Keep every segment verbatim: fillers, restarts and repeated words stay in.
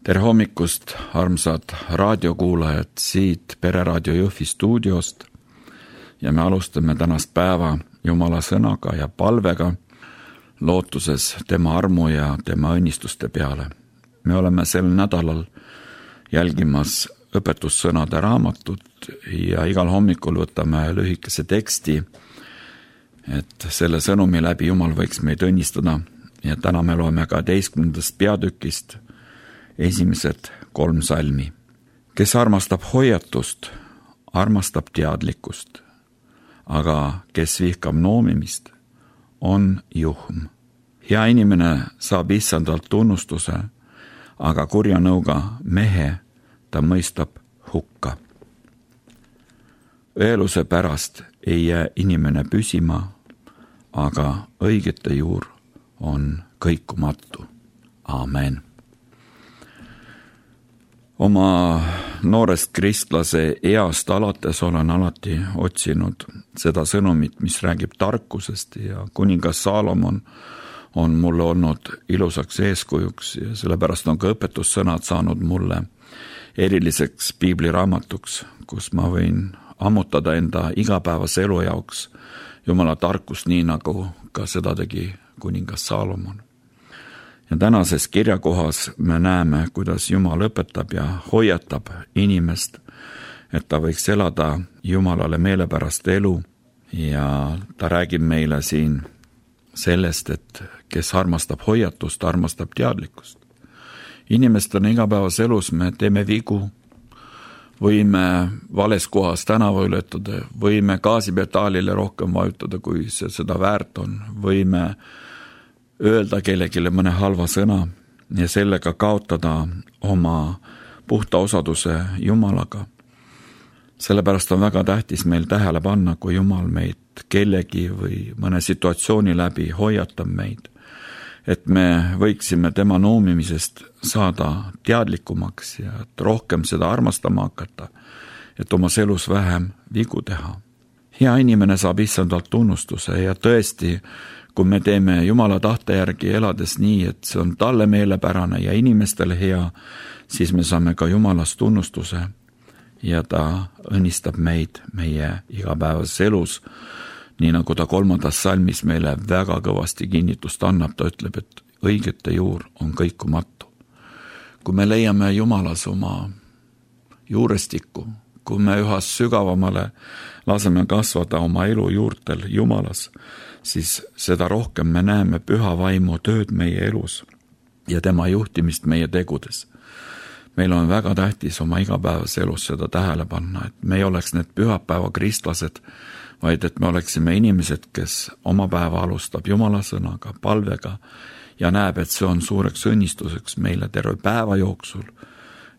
Tere hommikust, armsad raadiokuulajad siit Pereraadio Jõhvi stuudiost ja me alustame tänast päeva Jumala sõnaga ja palvega, lootuses tema armu ja tema õnnistuste peale. Me oleme sel nädalal jälgimas õpetussõnade raamatut ja igal hommikul võtame lühikese teksti, et selle sõnumi läbi Jumal võiks meid õnnistada ja täna me loeme kaheteistkümnendast peatükist esimesed kolm salmi. Kes armastab hoiatust, armastab teadlikkust, aga kes vihkab noomimist, on juhm. Hea inimene saab issandalt tunnustuse, aga kurja nõuga mehe ta mõistab hukka. Õeluse pärast ei jää inimene püsima, aga õigete juur on kõikumatu. Amen. Oma noorest kristlase east alates olen alati otsinud seda sõnumit, mis räägib tarkusest ja kuningas Saalomon on mulle olnud ilusaks eeskujuks ja sellepärast on ka õpetussõnad saanud mulle eriliseks piibliraamatuks, kus ma võin ammutada enda igapäevase elu jaoks Jumala tarkust, nii nagu ka seda tegi kuningas Saalomon. Ja tänases kirjakohas me näeme, kuidas Jumal õpetab ja hoiatab inimest, et ta võiks elada Jumalale meelepärast elu ja ta räägib meile siin sellest, et kes armastab hoiatust, armastab teadlikkust. Inimestena igapäevas elus me teeme vigu, võime vales kohas tänava ületada, võime gaasipedaalile rohkem vajutada, kui see seda väärt on, võime öelda kellegile mõne halva sõna ja sellega kaotada oma puhta osaduse Jumalaga. Sellepärast on väga tähtis meil tähele panna, kui Jumal meid kellegi või mõne situatsiooni läbi hoiatab meid, et me võiksime tema noomimisest saada teadlikumaks ja et rohkem seda armastama hakata, et omas elus vähem vigu teha. Hea inimene saab issandalt tunnustuse ja tõesti, kui me teeme Jumala tahte järgi elades nii, et see on talle meelepärane ja inimestele hea, siis me saame ka Jumalast tunnustuse ja ta õnnistab meid meie igapäevases elus, nii nagu ta kolmandas salmis meile väga kõvasti kinnitust annab, ta ütleb, et õigete juur on kõikumatu. Kui me leiame Jumalas oma juurestikku, kui me üha sügavamale laseme kasvada oma elu juurtel Jumalas, siis seda rohkem me näeme püha vaimu tööd meie elus ja tema juhtimist meie tegudes. Meil on väga tähtis oma igapäevas elus seda tähele panna, et me ei oleks need pühapäeva kristlased, vaid et me oleksime inimesed, kes oma päeva alustab Jumala sõnaga, palvega ja näeb, et see on suureks õnnistuseks meile terve päeva jooksul,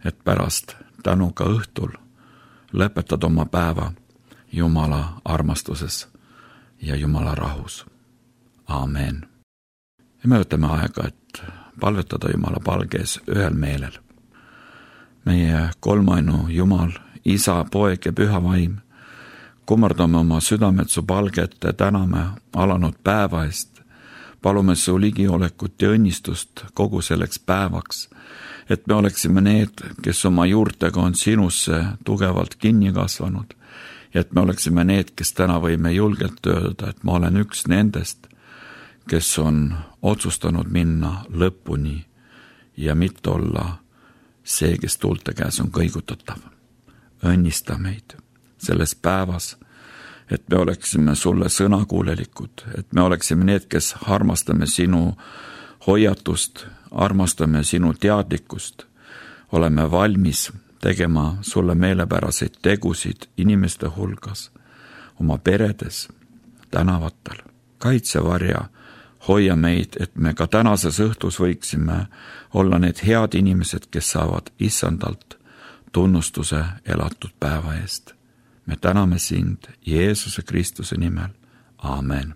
et pärast tänuga õhtul lõpetad oma päeva Jumala armastuses ja Jumala rahus. Amen. Ja me võtame aega, et palvetada Jumala palges ühel meelel. Meie kolmainu Jumal, Isa, Poeg ja Püha Vaim, kummardame oma südamed su palgete, täname alanud päeva eest, palume su ligiolekut ja õnnistust kogu selleks päevaks, et me oleksime need, kes oma juurtega on sinusse tugevalt kinni kasvanud, ja et me oleksime need, kes täna võime julgelt öelda, et ma olen üks nendest, kes on otsustanud minna lõpuni ja mitte olla see, kes tuulte käes on kõigutatav. Õnnista meid selles päevas, et me oleksime sulle sõnakuulelikud, et me oleksime need, kes armastame sinu hoiatust, armastame sinu teadlikkust, oleme valmis tegema sulle meelepäraseid tegusid inimeste hulgas, oma peredes, tänavatel. Kaitsevarja, hoia meid, et me ka tänases õhtus võiksime olla need head inimesed, kes saavad issandalt tunnustuse elatud päeva eest. Me täname sind Jeesuse Kristuse nimel. Amen.